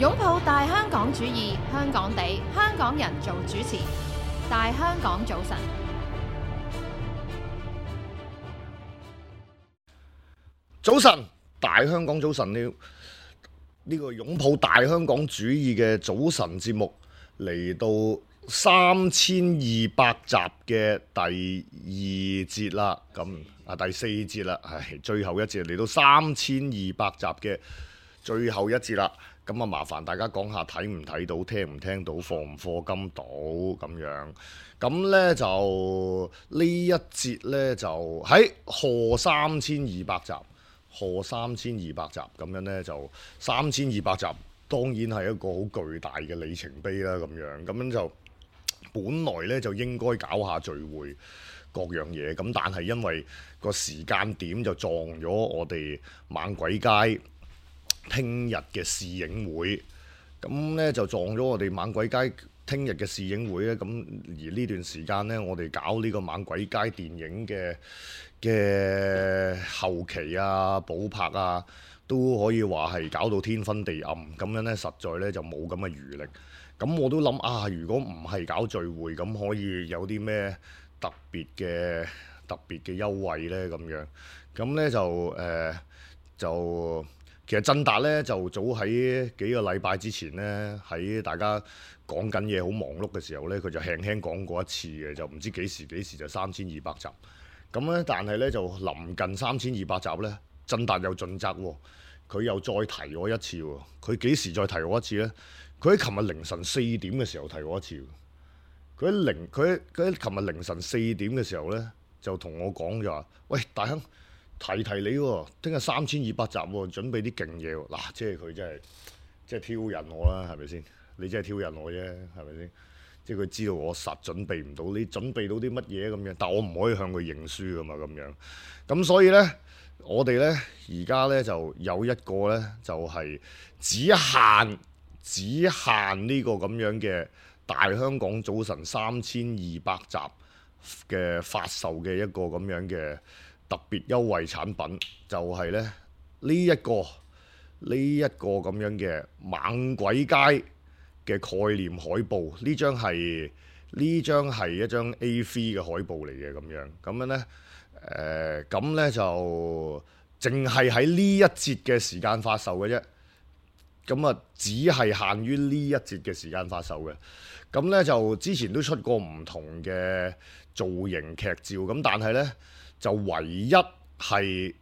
擁抱大香港主義，香港地，香港人做主持。大香港早晨，早晨，大香港早晨，呢個擁抱大香港主義嘅早晨節目嚟到3200集嘅第二節啦，第四節啦，係最後一節嚟到3200集嘅最後一節啦。咁啊，麻煩大家講下睇唔睇到、聽唔聽到、課唔課金到咁樣。咁呢就呢一節呢，就喺賀3200集，賀3200集咁樣呢，就3200集，當然係一個好巨大嘅里程碑啦。咁樣就本來呢，就應該搞下聚會各樣嘢，咁但係因為個時間點就撞咗我哋猛鬼街聽日嘅試映會，咁呢就撞咗我哋猛鬼街聽日嘅試映會咧。咁而呢段時間呢，我哋搞呢個猛鬼街電影嘅後期啊、補拍啊，都可以話係搞到天昏地暗。咁樣呢，實在呢就冇咁嘅餘力。咁我都諗啊，如果唔係搞聚會，咁可以有啲咩特別嘅優惠呢？咁呢就其實振達咧就早喺幾個禮拜之前咧，喺大家講緊嘢好忙碌嘅時候咧，佢就輕輕講過一次嘅，就唔知幾時就3200集。咁咧，但係咧就臨近3200集咧，振達又盡責喎，佢又再提我一次喎。佢幾時再提我一次咧？佢喺琴日凌晨4點嘅時候提我一次。佢喺琴日凌晨4點嘅時候咧，就同我講就話：喂，大亨，提你喎，聽日3200集喎，準備啲勁嘢喎。嗱，即係佢真係挑釁我啦，係咪先？你真係挑釁我啫，係咪先？即係佢知道我實準備唔到，你準備到啲乜嘢咁樣？但我唔可以向佢認輸噶嘛，咁樣。咁所以呢，我哋呢而家呢就有一個呢，就係只限呢個咁樣嘅大香港早晨3200集嘅發售嘅一個咁樣嘅特別優惠產品，就係咧呢一個咁樣嘅猛鬼街嘅概念海報。呢張係一張 A3 嘅海報嚟嘅，咁樣呢，咁呢就淨係喺呢一節嘅時間發售嘅啫。咁啊，只係限於呢一節嘅時間發售嘅。咁呢就之前都出過唔同嘅造型劇照，咁但係呢，就唯一係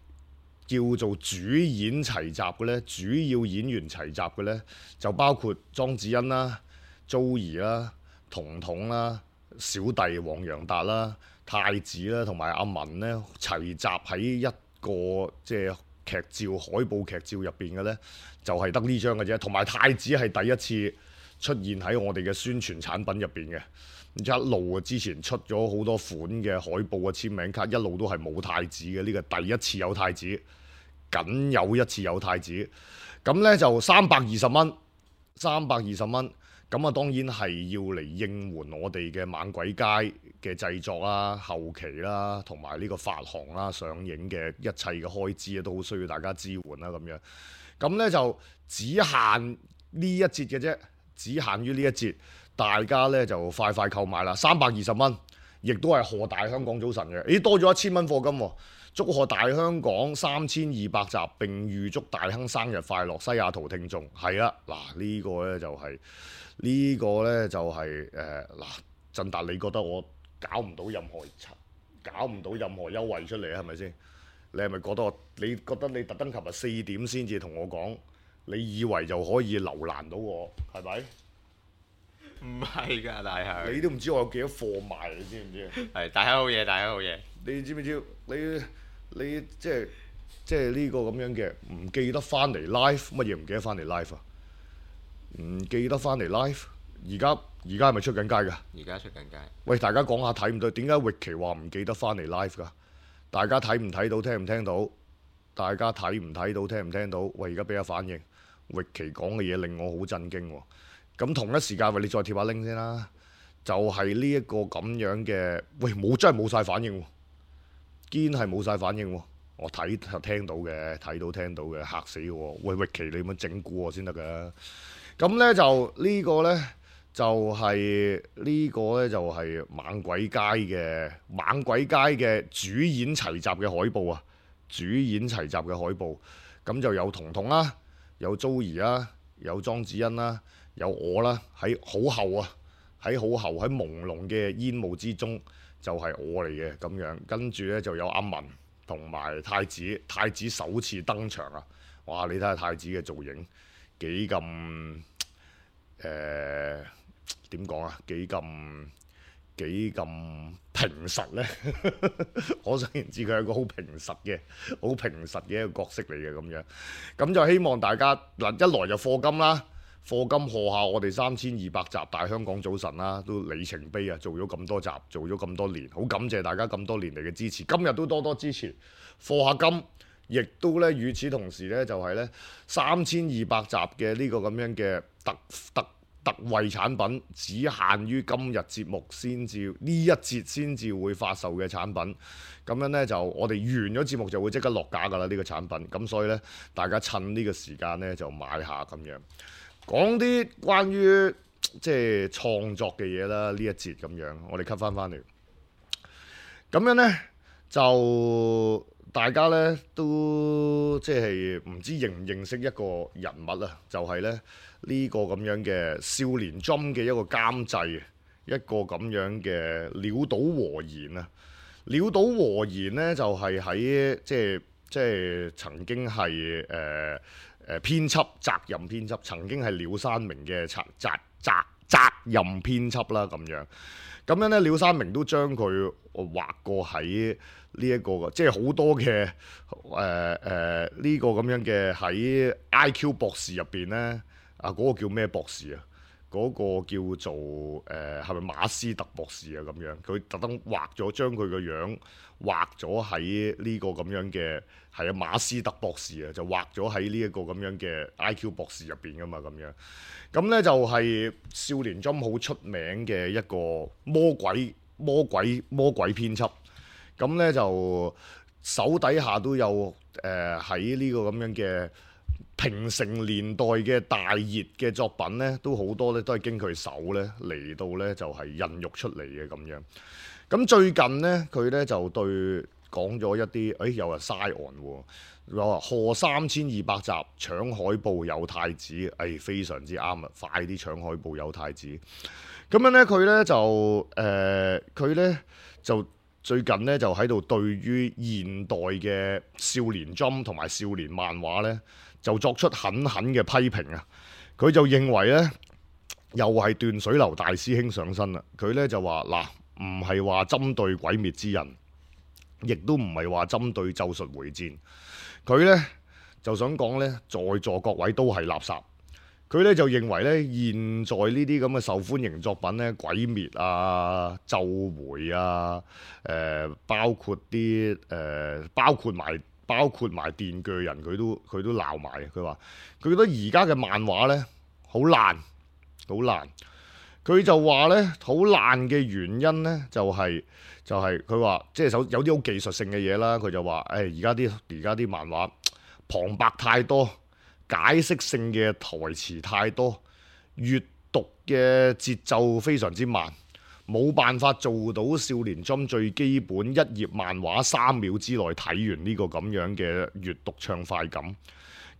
叫做主演齊集嘅呢，主要演員齊集嘅呢，就包括莊子欣啦、Joey 啦、彤彤啦、小弟黃洋達啦、太子啦同埋阿文呢，齊集喺一個即係劇照海報劇照入邊嘅呢，就係得呢張嘅啫。同埋太子係第一次出現喺我哋嘅宣傳產品入邊嘅。一路之前出咗好多款嘅海報嘅簽名卡，一路都係冇太子嘅，呢個第一次有太子，僅有一次有太子。咁呢就320蚊，咁啊當然係要嚟應援我哋嘅猛鬼街嘅製作啦、後期啦，同埋呢個發行啦、上映嘅一切嘅開支啊，都好需要大家支援啦咁樣。咁呢就只限呢一節嘅啫，只限於呢一節。大家咧就快購買啦，320蚊，亦都係賀大香港早晨嘅。咦，多咗1000蚊課金喎！祝賀大香港3200集，並預祝大亨生日快樂，西雅圖聽眾。係啦，嗱呢個咧就係嗱，振達，你覺得我搞唔到任何優惠出嚟啊？係咪先？你係咪覺得你特登琴日4點先至同我講，你以為就可以留難到我係咪？唔係㗎，大亨。你都唔知我有幾多貨賣，你知唔知？係大亨好嘢，大亨好嘢。你知唔知？你即係呢個咁樣嘅唔記得翻嚟 live， 乜嘢唔記得翻嚟 live 啊？唔記得翻嚟 live， 而家係咪出緊街㗎？而家出緊街。喂，大家講下睇唔到？點解域奇話唔記得翻嚟 live 㗎？大家睇唔睇到？聽唔聽到？大家睇唔睇到？聽唔聽到？喂，而家俾下反應。域奇講嘅嘢令我好震驚喎。咁同一時間，喂，你再貼下 link 先啦。就係呢一個咁樣嘅，喂，真係冇晒反應喎，堅係冇晒反應喎。我聽到嘅，睇到聽到嘅，嚇死我！喂，域奇你咁樣整蠱我先得㗎。咁咧就呢個咧就係猛鬼街嘅主演齊集嘅海報啊！主演齊集嘅海報，咁就有彤彤啦，有 Joey 啦，有莊子欣啦，有我啦，喺好後喺朦朧嘅煙霧之中，就係我嚟嘅咁樣。跟住咧就有阿文同埋太子首次登場啊！哇！你睇下太子嘅造型幾咁點講啊？幾咁平實呢？可想而知佢係一個好平實嘅一個角色嚟嘅咁樣。咁就希望大家嗱，一來就課金啦，課金賀下我哋3200集大香港早晨啦，都里程碑啊！做咗咁多集，做咗咁多年，好感謝大家咁多年嚟嘅支持。今日都多多支持，課下金。亦都咧，與此同時咧，就係咧3200集嘅呢個咁樣嘅特惠產品，只限於今日節目先至呢一節先至會發售嘅產品。咁樣咧就我哋完咗節目就會即刻落架㗎啦，呢個產品。咁所以咧，大家趁呢個時間咧就買下咁樣。講啲關於即係創作嘅嘢啦，呢一節咁樣，我哋 cut 翻嚟。咁樣咧就。大家咧都即係唔知認唔認識一個人物啊？就係咧呢個咁樣嘅少年 Jump 嘅一個監製，一個咁樣嘅潦倒和言啊！潦倒和言咧就係喺即係曾經係編輯責任編輯，曾經係廖山明嘅責任編輯啦咁樣。咁樣咧，廖山明都將佢畫過喺呢一個即係好多嘅呢個咁樣嘅喺 IQ 博士入邊咧，啊嗰個叫咩博士啊？嗰個叫做係咪馬斯特博士啊？咁樣佢特登畫咗，將佢個樣畫咗喺呢個咁樣嘅係啊馬斯特博士啊，就畫咗喺呢一個咁樣嘅 IQ 博士入邊噶嘛咁樣。咁咧就係少年 Jump 好出名嘅一個魔鬼編輯。咁咧就手底下都有喺呢個咁樣嘅平成年代嘅大熱嘅作品咧，都好多咧都係經佢手咧嚟到咧就係孕育出嚟嘅咁樣。咁最近咧佢咧就對講咗一啲，有人嘥案喎，話賀3200集搶海報有太子，非常之啱啊！快啲搶海報有太子。咁樣咧佢咧就最近咧就喺度對於現代嘅少年 Jump 同埋少年漫畫咧，就作出狠嘅批評啊！佢就認為咧，又係斷水流大師兄上身啦。佢咧就話嗱，唔係話針對鬼滅之刃，亦都唔係話針對咒術迴戰。佢咧就想講咧，在座各位都係垃圾。佢咧就認為咧，現在呢啲咁嘅受歡迎作品咧，鬼滅啊、咒迴啊，包括埋電鋸人，佢都鬧埋。佢話佢覺得而家嘅漫畫咧好爛。佢就話咧好爛嘅原因咧就係佢話即係有啲好技術性嘅嘢啦。佢就話而家啲漫畫旁白太多。解釋性嘅台詞太多，閱讀嘅節奏非常之慢，冇辦法做到少年 Jump 最基本一頁漫畫3秒之內睇完呢個咁樣嘅閱讀暢快感。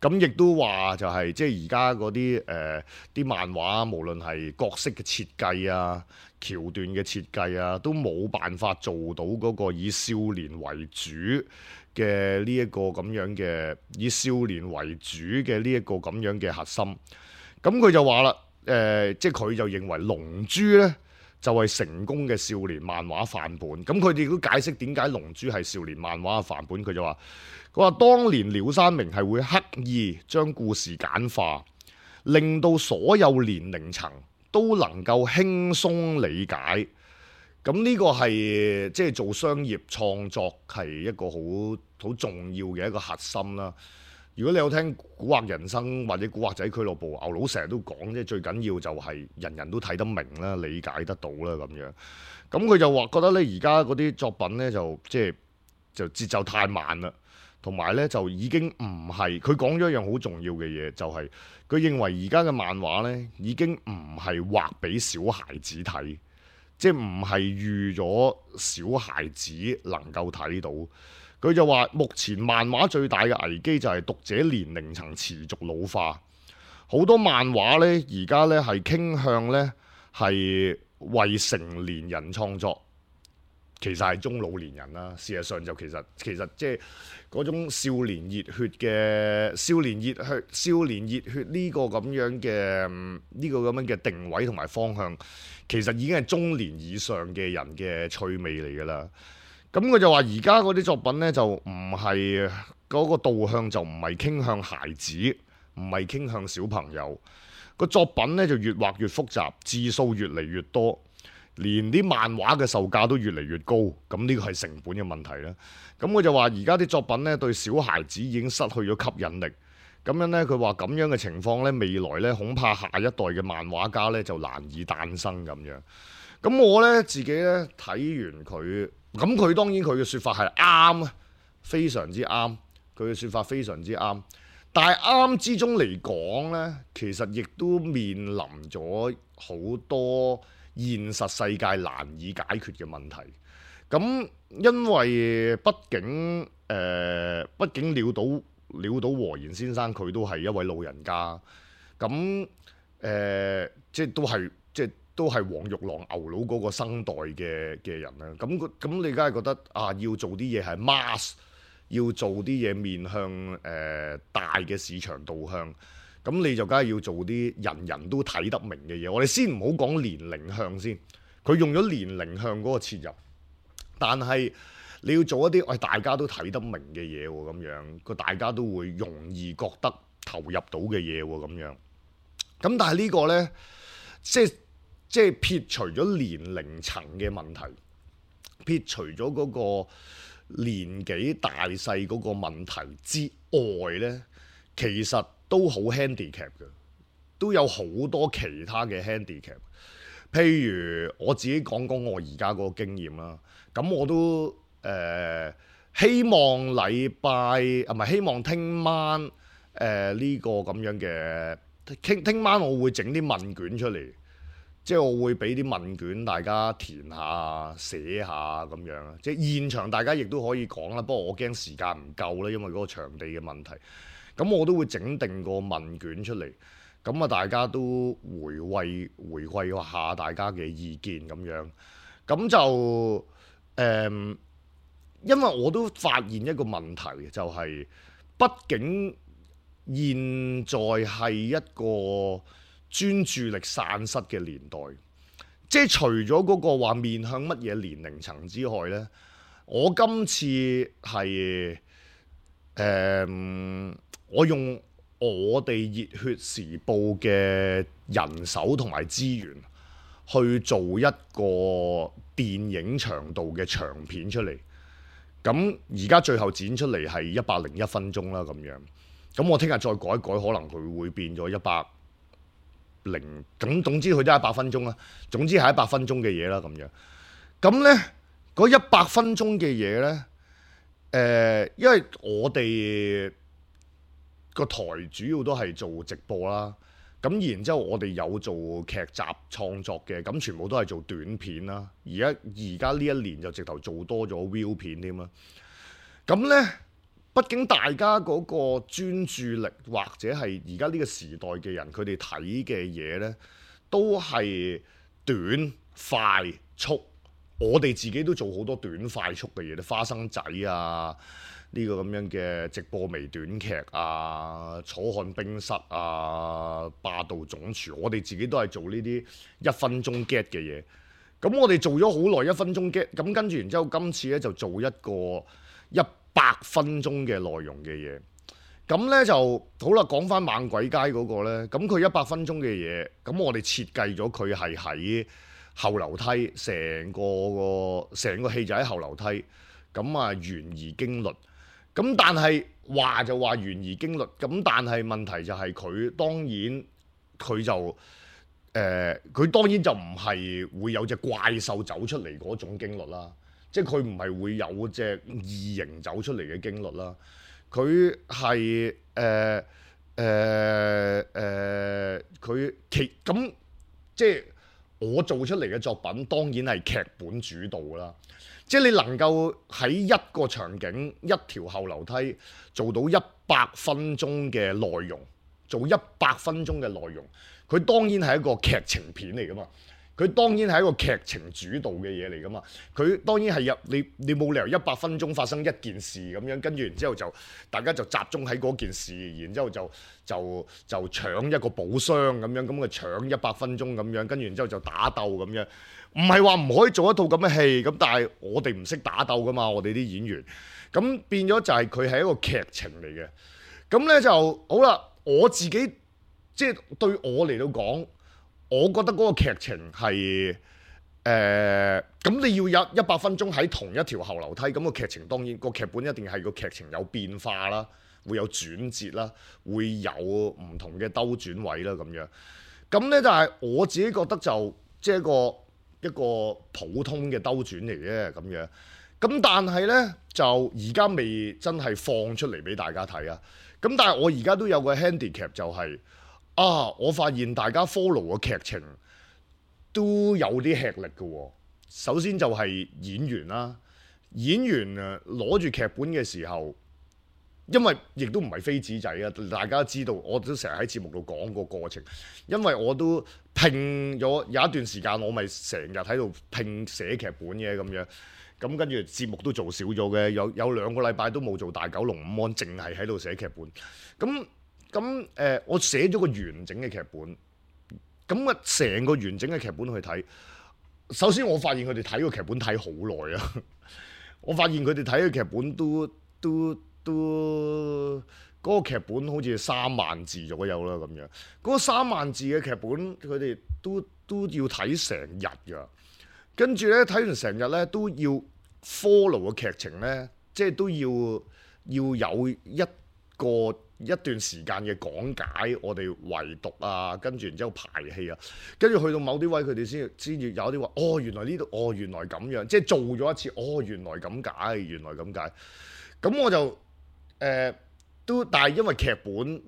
咁亦都話就係即係而家嗰啲漫畫，無論係角色嘅設計啊、橋段嘅設計啊，都冇辦法做到嗰個以少年為主嘅呢一個咁樣嘅以少年為主嘅呢一個咁樣嘅核心。咁佢就話啦，即係佢就認為《龍珠》呢就係成功嘅少年漫畫範本。咁佢哋都解釋點解《龍珠》係少年漫畫嘅範本。佢話當年廖山明係會刻意將故事簡化，令到所有年齡層都能夠輕鬆理解。咁呢個係即係做商業創作係一個好重要嘅一個核心啦。如果你有聽《古惑人生》或者《古惑仔俱樂部》，牛佬成日都講，即係最緊要就係人人都睇得明啦、理解得到啦咁樣。咁佢就話覺得咧，而家嗰啲作品咧就節奏太慢啦，同埋呢就已經唔係佢講咗一樣好重要嘅嘢，就係佢認為而家嘅漫畫呢已經唔係畫俾小孩子睇，即係唔係預咗小孩子能夠睇到。佢就話目前漫畫最大嘅危機就係讀者年齡層持續老化，好多漫畫呢而家呢係傾向呢係為成年人創作。其實係中老年人啦，事實上就其實即係嗰種少年熱血嘅少年熱血呢個咁樣嘅定位同埋方向，其實已經係中年以上嘅人嘅趣味嚟㗎啦。咁佢就話而家嗰啲作品呢，就唔係嗰個導向，就唔係傾向孩子，唔係傾向小朋友。個作品呢，就越畫越複雜，字數越嚟越多。連啲漫畫嘅售價都越嚟越高，咁呢個係成本嘅問題啦。咁我就話而家啲作品呢，對小孩子已經失去咗吸引力。咁樣呢，佢話咁樣嘅情況呢，未來呢，恐怕下一代嘅漫畫家呢，就難以誕生咁樣。咁我呢，自己呢，睇完佢，咁佢當然佢嘅説法係啱啊，非常之啱。佢嘅説法非常之啱，但係啱之中嚟講呢，其實亦都面臨咗好多現實世界難以解決嘅問題，咁因為畢竟潦倒和賢先生佢都係一位老人家，咁即係都係黃玉郎牛佬嗰個生代嘅人啦。咁你梗係覺得要做啲嘢係 mass， 要做啲嘢面向大嘅市場導向。咁你就梗係要做啲人人都睇得明嘅嘢。我哋先唔好講年齡向先，佢用咗年齡向嗰個切入，但係你要做一啲大家都睇得明嘅嘢喎，咁樣個大家都會容易覺得投入到嘅嘢喎，咁樣。咁但係呢個呢，即係撇除咗年齡層嘅問題，撇除咗嗰個年紀大細嗰個問題之外呢，其實都好 handicap 嘅，都有好多其他嘅 handicap。譬如我自己講我而家嗰個經驗啦，咁我都希望希望聽晚呢個咁樣嘅聽晚我會整啲問卷出嚟，即係我會俾啲問卷大家填下寫下咁樣，即係現場大家亦都可以講啦。不過我驚時間唔夠啦，因為嗰個場地嘅問題。咁我都會整定個問卷出嚟，咁大家都回饋下大家嘅意見咁樣。咁就因為我都發現一個問題，就係畢竟現在係一個專注力散失嘅年代，即係除咗嗰個話面向乜嘢年齡層之外呢，我今次係我用我哋熱血時報嘅人手同埋資源去做一個電影長度嘅長片出嚟。咁而家最後剪出嚟係101分鐘啦，咁樣。咁我聽日再改一改，可能佢會變咗100。總之佢都係100分鐘啦。總之係100分鐘嘅嘢啦，咁樣。咁呢嗰100分鐘嘅嘢呢，因為我哋個台主要都係做直播啦，咁然之後我哋有做劇集創作嘅，咁全部都係做短片啦。而家呢一年就直頭做多咗 view 片添啦。咁呢，畢竟大家嗰個專注力或者係而家呢個時代嘅人，佢哋睇嘅嘢呢，都係短快速。我哋自己都做好多短快速嘅嘢，花生仔啊，呢個咁樣嘅直播微短劇啊，楚漢冰室啊，霸道總廚，我哋自己都係做呢啲1分鐘 get 嘅嘢。咁我哋做咗好耐1分鐘 get，咁跟住然之後今次咧就做一個100分鐘嘅內容嘅嘢。咁咧就好啦，講翻猛鬼街嗰個咧，咁佢100分鐘嘅嘢，咁我哋設計咗佢係喺後樓梯，成個戲就喺後樓梯，咁懸疑驚慄。咁但係話就話懸疑驚慄，咁但係問題就係佢當然就唔係會有隻怪獸走出嚟嗰種驚慄啦，即係佢唔係會有隻異形走出嚟嘅驚慄啦。佢係佢咁即係我做出嚟嘅作品，當然係劇本主導啦。即係你能夠喺一個場景、一條後樓梯做到100分鐘嘅內容，做100分鐘嘅內容，佢當然係一個劇情片嚟噶嘛。佢當然係一個劇情主導嘅嘢嚟噶嘛，佢當然係你冇理由100分鐘發生一件事咁樣，跟住然之後就大家就集中喺嗰件事，然之後就搶一個寶箱咁樣，咁搶100分鐘咁樣，跟住然之後就打鬥咁樣，唔係話唔可以做一套咁嘅戲，咁但係我哋唔識打鬥噶嘛，我哋啲演員，咁變咗就係佢係一個劇情嚟嘅，咁咧就好啦，我自己即係對我嚟到講。我覺得嗰個劇情係咁你要有100分鐘喺同一條後樓梯，咁個劇情當然個劇本一定係個劇情有變化啦，會有轉折啦，會有唔同嘅兜轉位啦咁樣。咁呢，但係我自己覺得就即係一個普通嘅兜轉嚟嘅咁樣。咁但係呢，就而家未真係放出嚟俾大家睇啊。咁但係我而家都有個 handicap 就係。我發現大家 follow 嘅劇情都有啲吃力嘅喎。首先就係演員啦，演員攞住劇本嘅時候，因為亦都唔係飛紙仔啊，大家都知道，我都成日喺節目度講個過程。因為我都拼咗有一段時間，我咪成日喺度拼寫劇本嘅咁樣。咁跟住節目都做少咗嘅，有2個禮拜都冇做大九龍午安，淨係喺度寫劇本。咁我寫咗個完整嘅劇本，咁成個完整嘅劇本去睇。首先我發現佢哋睇個劇本睇好耐啊！我發現佢哋睇嘅劇本都嗰個劇本好似3萬字左右啦咁樣。嗰個3萬字嘅劇本，佢哋都要睇成日㗎。跟住咧睇完成日咧都要 follow 個劇情咧，即係都要有一段時間嘅講解，我哋圍讀啊，跟住然之後排戲啊，跟住去到某啲位，佢哋先至有啲話，原來呢度，原來咁樣，即係做咗一次，原來咁解，原來咁解。咁我就但係因為劇本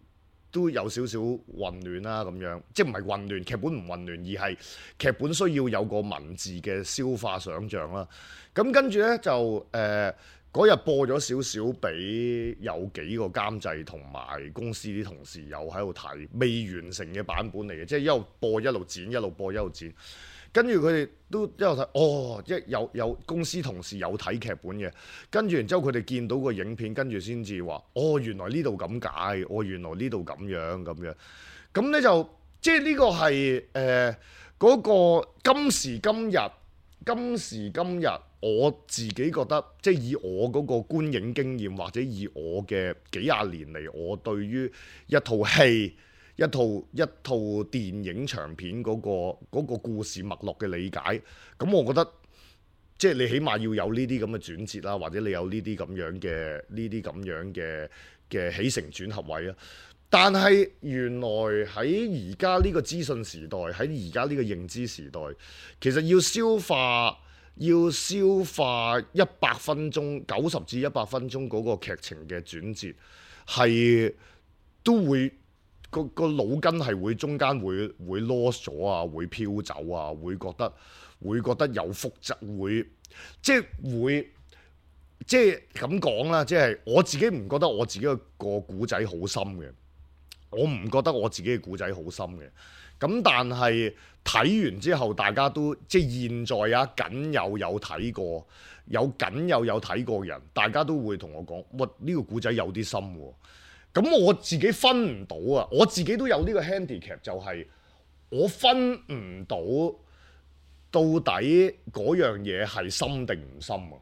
都有少少混亂啦，咁樣，即係唔係混亂，劇本唔混亂，而係劇本需要有個文字嘅消化想像啦。咁跟住呢，就嗰日播咗少少俾有幾個監製同埋公司啲同事有喺度睇，未完成嘅版本嚟嘅，即係一路播一路剪，一路播一路剪。跟住佢哋都一路睇，有公司同事有睇劇本嘅，跟住然之後佢哋見到個影片，跟住先至話，原來呢度咁解，原來呢度咁樣咁樣。咁呢就即係呢個係嗰個今時今日。我自己覺得，即係以我嗰個觀影經驗，或者以我嘅幾廿年嚟，我對於一套戲、一套電影長片嗰個故事脈絡嘅理解，咁我覺得即係你起碼要有呢啲咁嘅轉折啦，或者你有呢啲咁樣嘅起承轉合位啊。但係原來喺而家呢個資訊時代，喺而家呢個認知時代，其實要消化100分鐘90至100分鐘嗰個劇情嘅轉折，係都會個腦筋係會中間會 lost 咗啊，會飄走啊，會覺得有複雜，會即係咁講啦，即係我自己唔覺得我自己個故仔好深嘅，我唔覺得我自己嘅故仔好深嘅。咁但係睇完之後，大家都即係現在啊，僅有睇過，有睇過嘅人，大家都會同我講，呢個故仔有啲深喎。咁我自己分唔到啊，我自己都有呢個 handicap，就係我分唔到到底嗰樣嘢係深定唔深啊。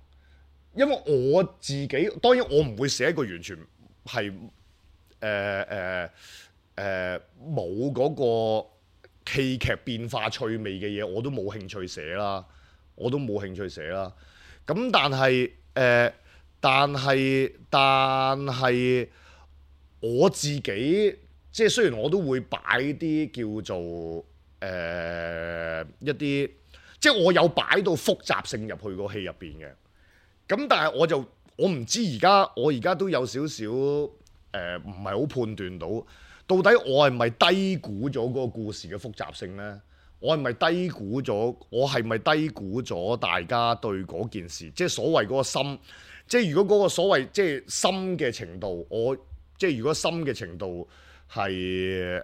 因為我自己當然我唔會寫一個完全係冇嗰個戲劇變化趣味嘅嘢，我都冇興趣寫啦，咁但係我自己即係雖然我都會擺啲叫做一啲，即係我有擺到複雜性入去個戲入邊嘅。咁但係我唔知我而家都有少少唔係好判斷到底我係咪低估咗嗰個故事嘅複雜性呢？我係咪低估咗大家對嗰件事，即係所謂嗰個深，即係如果嗰個所謂即係深嘅程度，即係如果深嘅程度係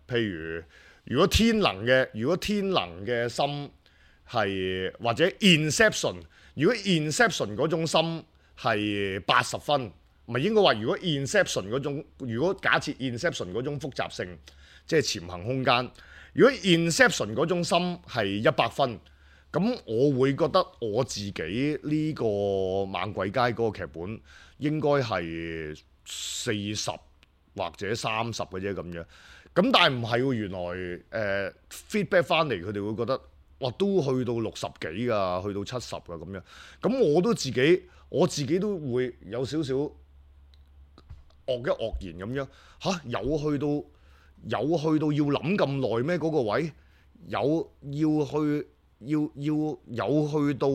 譬如果天能嘅深係或者 Inception， 如果 Inception 嗰種深係80分，唔係應該話如果 Inception 嗰種，如果假設 Inception 嗰種複雜性，即係潛行空間，如果 Inception 嗰種深係100分，咁我會覺得我自己呢個猛鬼街嗰個劇本應該係40或者30嘅啫咁樣。咁但係唔係喎，原來feedback 翻嚟佢哋會覺得哇都去到60幾㗎，去到70㗎咁樣。咁我自己都會有少少愕然咁樣嚇，有去到要諗咁耐咩？嗰個位有去到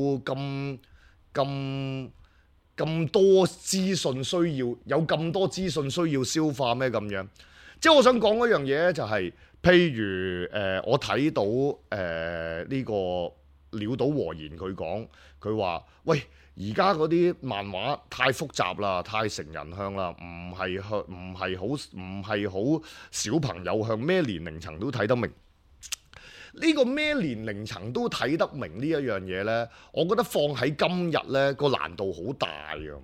咁多資訊需要，有咁多資訊需要消化咩咁樣？即係我想講嗰樣嘢咧，就係譬如我睇到呢個鳥島和彥佢講，佢話喂，而家嗰啲漫畫太複雜啦，太成人向啦，唔係好小朋友向，咩年齡層都睇得明。呢個咩年齡層都睇得明呢一樣嘢呢，我覺得放喺今日呢個難度好大㗎。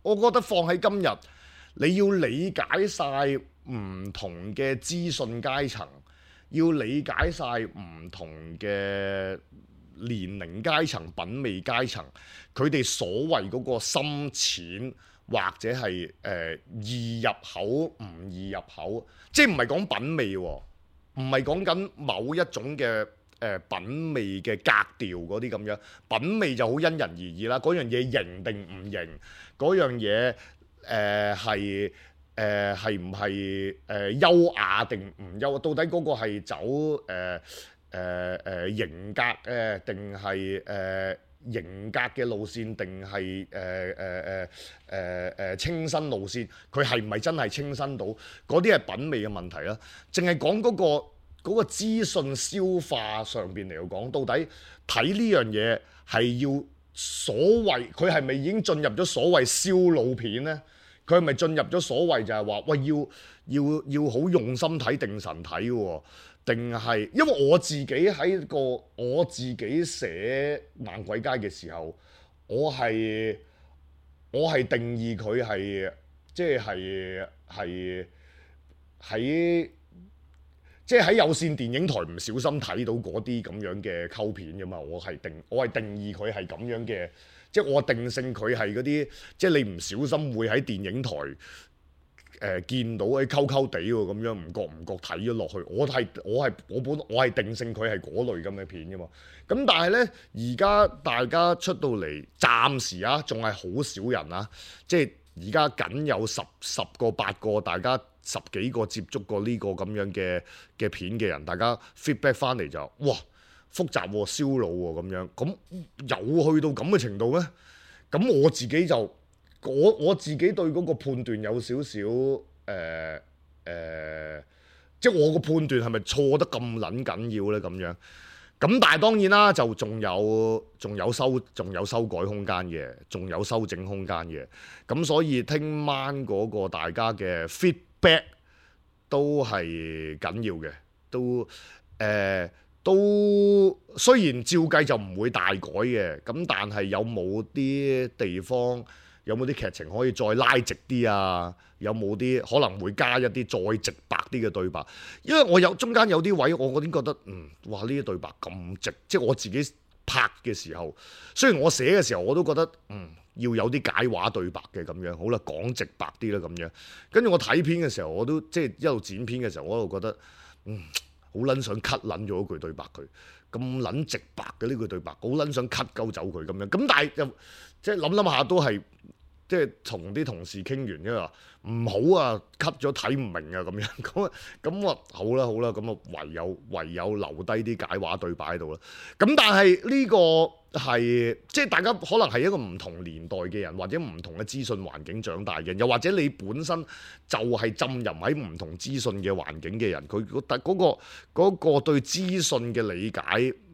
我覺得放喺今日，你要理解晒唔同嘅資訊階層，要理解晒唔同嘅年齡階層、品味階層，佢哋所謂嗰個深淺或者係易入口唔易入口，即係唔係講品味喎。唔係講緊某一種嘅品味嘅格調嗰啲咁樣，品味就好因人而異啦。嗰樣嘢型定唔型，嗰樣嘢係唔係優雅定唔優？到底嗰個係走型格定係型格嘅路線，定係清新路線？佢係唔係真係清新到？嗰啲係品味嘅問題啦。淨係講嗰個資訊消化上邊嚟講，到底睇呢樣嘢係要所謂，佢係咪已經進入咗所謂燒腦片呢？佢係咪進入咗所謂就係話喂，要好用心睇定神睇喎？定係因為我自己寫猛鬼街嘅時候，我係定義佢係即係喺有線電影台唔小心睇到嗰啲咁樣嘅溝片㗎嘛，我係定義佢係咁樣嘅，即係我定性佢係嗰啲，即係你唔小心會喺電影台見到溝溝地喎咁樣，唔覺睇咗落去，我係定性佢係嗰類咁嘅片㗎嘛。咁但係呢，而家大家出到嚟，暫時啊，仲係好少人啊，即係而家僅有十個8個，大家10幾個接觸過呢個咁樣嘅片嘅人，大家 feedback 翻嚟就哇複雜喎、燒腦喎咁樣，咁有去到咁嘅程度咩？咁我自己就我自己對嗰個判斷有少少即係我個判斷係咪錯得咁撚緊要呢？咁樣？咁但係當然啦，就仲有修改空間嘅，仲有修整空間嘅。咁所以聽晚嗰個大家嘅 feedback 都係緊要嘅，都雖然照計就唔會大改嘅，咁但係有冇啲地方，有冇啲劇情可以再拉直啲啊？有冇啲可能會加一啲再直白啲嘅對白？因為我中間有啲位，我已經覺得哇呢啲對白咁直，即係我自己拍嘅時候，雖然我寫嘅時候我都覺得要有啲解話對白嘅咁樣，好啦，講直白啲啦咁樣。跟住我睇片嘅時候，我都即係一路剪片嘅時候，我都覺得好撚想 cut 撚咗一句對白佢，咁撚直白嘅呢句對白，好撚想 cut 鳩走佢咁樣。咁但係又即係諗下都係。即係同啲同事傾完，因為話唔好啊，cut 咗睇唔明啊咁樣，咁我好啦，咁啊唯有留低啲解話對白喺度啦。咁但係呢個係即係大家可能係一個唔同年代嘅人，或者唔同嘅資訊環境長大嘅，又或者你本身就係浸淫喺唔同資訊嘅環境嘅人，佢嗰個對資訊嘅理解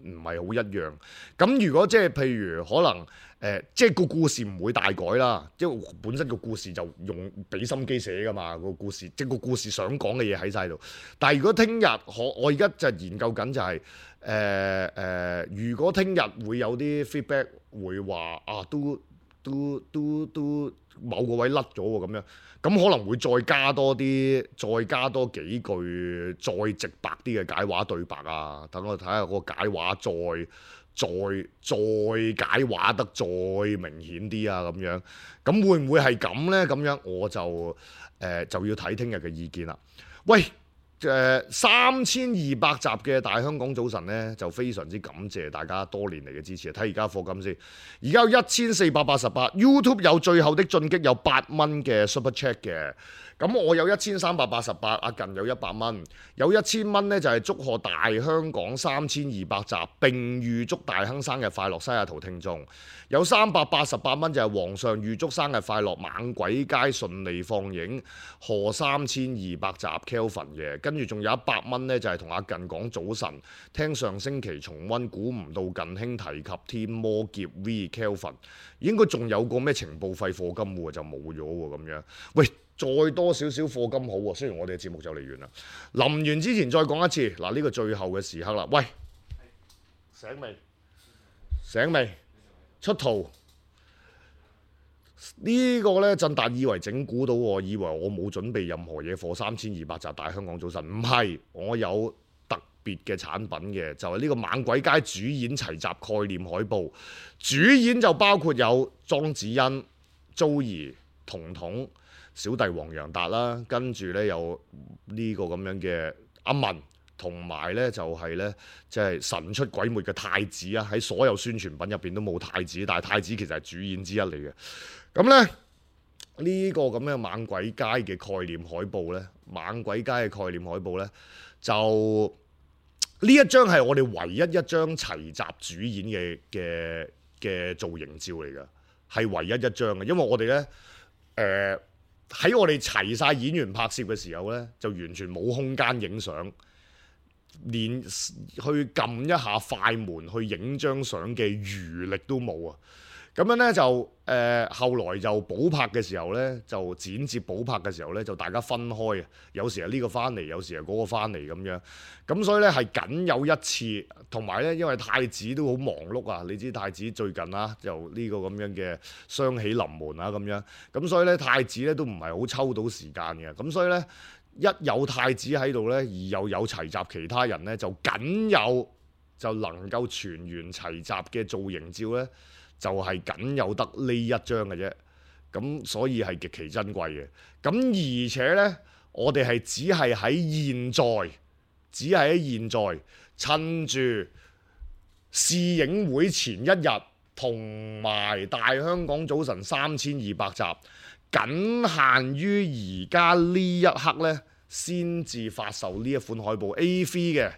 唔係好一樣。咁如果即係譬如可能即係個故事唔會大改啦，因為本身個故事就用俾心機寫噶嘛，個故事即係個故事想講嘅嘢喺晒度。但係如果聽日我而家就研究緊就係如果聽日會有啲 feedback 會話啊都某個位甩咗喎咁樣，咁可能會再加多幾句再直白啲嘅解話對白啊，等我睇下個解話再解話得再明顯啲啊咁樣，咁會唔會係咁呢？咁樣我就要睇聽日嘅意見啦。喂，3200集嘅大香港早晨呢，就非常之感謝大家多年嚟嘅支持。睇而家課金先，而家有1488 YouTube 有最後的進擊有8蚊嘅 Super Chat 嘅。咁我有1388，阿近有100蚊，有1000蚊呢就係祝賀大香港3200集，並預祝大亨生日快樂，西雅圖聽眾。有388蚊就係皇上預祝生日快樂，猛鬼街順利放映，賀3200集 Kelvin 嘅。跟住仲有100蚊呢就係同阿近講早晨，聽上星期重溫，估唔到近兄提及天魔劫 V Kelvin， 應該仲有個咩情報費課金喎，就冇咗喎咁樣。喂！再多少少課金好喎，雖然我哋嘅節目就嚟完啦。臨完之前再講一次，嗱呢個最後嘅時刻啦。喂，醒未？出圖呢個呢，振達以為整蠱到我，以為我冇準備任何嘢課3200集大香港早晨，唔係，我有特別嘅產品嘅，就係呢個猛鬼街主演齊集概念海報，主演就包括有莊子欣、Joey、彤彤、小弟黃洋達啦，跟住呢有呢個咁樣嘅阿文，同埋呢就係呢，即係神出鬼沒嘅太子啊！喺所有宣傳品入邊都冇太子，但係太子其實係主演之一嚟嘅。咁呢，呢個咁樣猛鬼街嘅概念海報呢，猛鬼街嘅概念海報呢，就呢一張係我哋唯一一張齊集主演嘅造型照嚟㗎，係唯一一張嘅，因為我哋呢。喺我哋齊晒演員拍攝嘅時候呢，就完全冇空間影相，連去撳一下快門去影張相嘅餘力都冇啊！咁樣呢，就後來就補拍嘅時候呢，就剪接補拍嘅時候呢，就大家分開啊，有時係呢個翻嚟，有時係嗰個翻嚟咁樣。咁所以呢，係僅有一次，同埋呢，因為太子都好忙碌啊，你知太子最近啊就呢個咁樣嘅雙喜臨門啊咁樣。咁所以呢，太子呢都唔係好抽到時間嘅。咁所以呢，一有太子喺度呢，而又有齊集其他人呢，就僅有就能夠全員齊集嘅造型照呢。就係僅有得呢一張嘅啫，咁所以係極其珍貴嘅。咁而且呢，我哋係只係喺現在，趁住試映會前一日，同埋大香港早晨3200集，僅限於而家呢一刻呢，先至發售呢一款海報 A3 嘅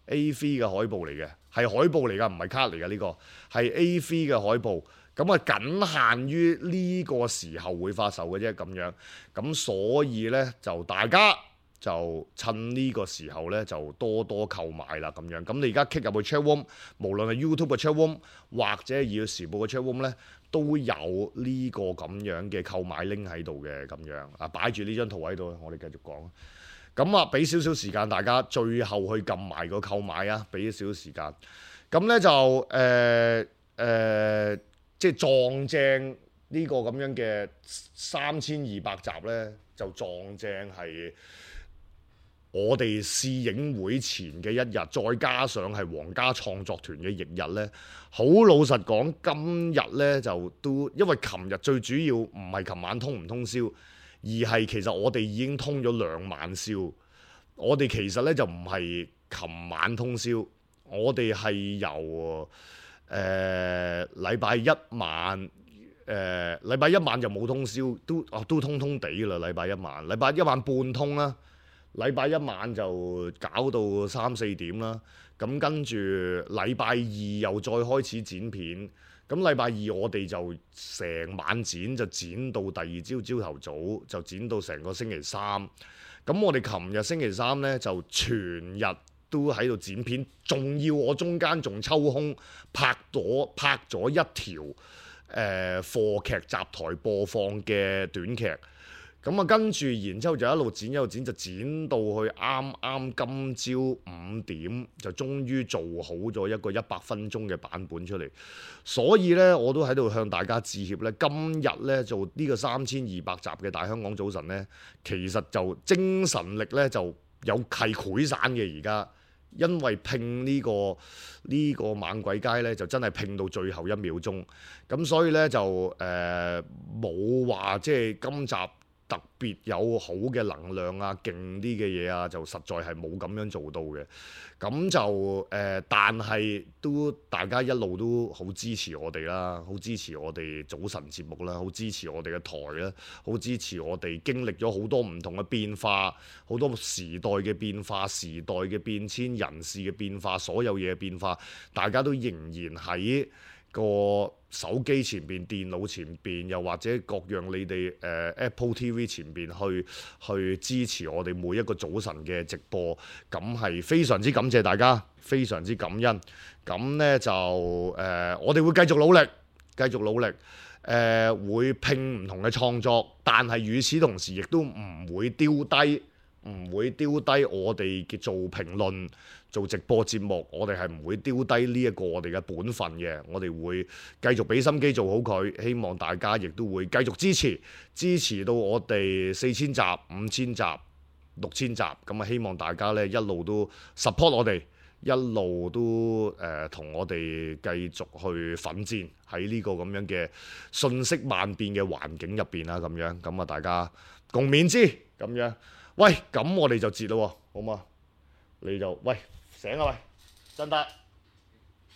海報嚟嘅。係海報嚟㗎，唔係卡嚟㗎，呢個係 A3 嘅海報，咁啊僅限於呢個時候會發售嘅啫咁樣，咁所以呢，就大家就趁呢個時候呢，就多多購買啦咁樣。咁你而家 click 入去 chatroom，無論係 YouTube 嘅 chatroom 或者《要時報》嘅 chatroom 呢，都有呢個咁樣嘅購買 link 喺度嘅咁樣啊，擺住呢張圖喺度，我哋繼續講。咁啊，俾少少時間大家，最後去撳埋個購買啊！俾少少時間，咁呢就即係撞正呢個咁樣嘅3200集呢，就撞正係我哋試映會前嘅一日，再加上係皇家創作團嘅翌日呢。好老實講，今日呢就都因為琴日最主要唔係琴晚通唔通宵。而係其實我哋已經通咗2晚宵，我哋其實呢就唔係琴晚通宵，我哋係由禮拜一晚禮拜一晚就冇通宵，都通通地啦。禮拜一晚半通啦。禮拜一晚就搞到3、4點啦。咁跟住禮拜二又再開始剪片。咁禮拜二我哋就成晚剪，就剪到第二朝朝頭早，就剪到成個星期三。咁我哋琴日星期三呢，就全日都喺度剪片，仲要我中間仲抽空拍咗一條課劇集台播放嘅短劇。咁啊，跟住然之後就一路剪，就剪到去啱啱今朝5點，就終於做好咗一個100分鐘嘅版本出嚟。所以呢，我都喺度向大家致歉呢。今日呢，做呢個3200集嘅大香港早晨呢，其實就精神力呢就係潰散嘅而家。因為拼呢個猛鬼街呢，就真係拼到最後1秒鐘。咁所以呢，就冇話即係今集特別有好嘅能量啊，勁啲嘅嘢啊，就實在係冇咁樣做到嘅。咁就但係都大家一路都好支持我哋啦，好支持我哋早晨節目啦，好支持我哋嘅台啦，好支持我哋經歷咗好多唔同嘅變化，好多時代嘅變化、時代嘅變遷、人事嘅變化，所有嘢嘅變化，大家都仍然喺個手機前邊、電腦前邊，又或者各樣你哋Apple TV 前邊去支持我哋每一個早晨嘅直播，咁係非常之感謝大家，非常之感恩。咁呢就我哋會繼續努力，會拼唔同嘅創作，但係與此同時亦都唔會丟低我哋嘅做評論、做直播節目，我哋係唔會丟低呢一個我哋嘅本分嘅。我哋會繼續俾心機做好佢，希望大家亦都會繼續支持到我哋4000集、5000集、6000集。咁啊，希望大家呢一路都 support 我哋，一路都同我哋繼續去奮戰喺呢個咁樣嘅瞬息萬變嘅環境入邊啦。咁啊，大家共勉之咁樣。喂，咁我哋就截咯，好嘛？你就喂醒啊喂，真得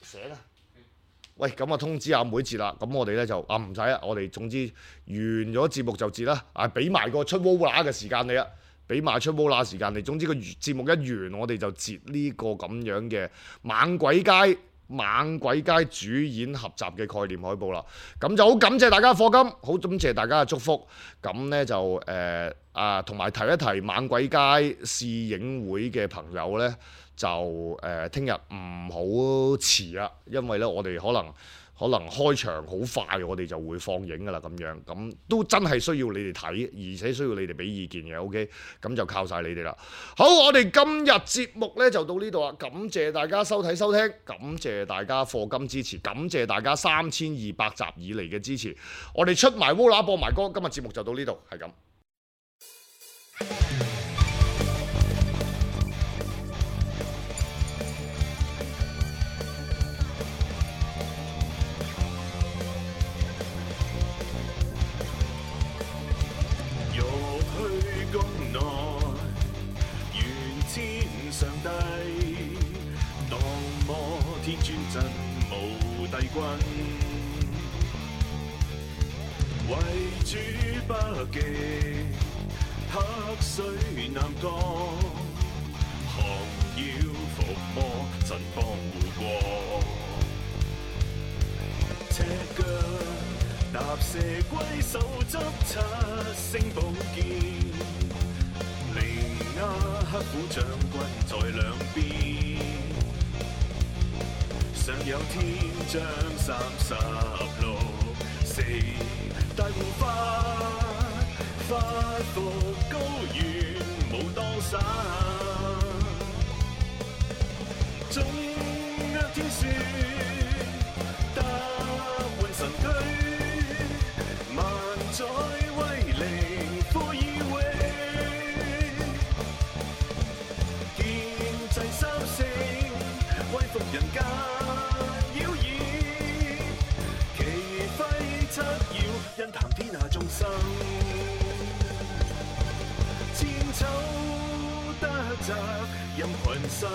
醒啊！喂，咁啊通知阿妹截啦。咁我哋咧就唔使啊，我哋總之完咗節目就截啦。俾埋個出 Vola 嘅時間你啊，俾埋出 Vola 時間你。總之個節目一完，我哋就截呢個咁樣嘅猛鬼街主演合集嘅概念海報啦。咁就好感謝大家課金，好感謝大家嘅祝福。咁呢就同埋提一提猛鬼街試映會嘅朋友呢，就聽日唔好遲啊，因為呢我哋可能開場好快，我哋就會放映噶啦咁樣，咁都真係需要你哋睇，而且需要你哋俾意見嘅 ，OK， 咁就靠晒你哋啦。好，我哋今日節目呢就到呢度啦，感謝大家收睇收聽，感謝大家課金支持，感謝大家3200集以嚟嘅支持，我哋出埋 Vola 播埋歌，今日節目就到呢度，係咁。為主北極，黑水南降，寒妖伏魔，陣幫護國。赤腳踏蛇龜，手執7星寶劍，靈鴉黑虎將軍在兩邊，上有天將36，4大護法，發復高原武當山，中約天雪，踏換神駒，萬載威靈呼以榮，劍制三星，威服人間妖異。七曜因談天下眾生，千秋得澤任群生。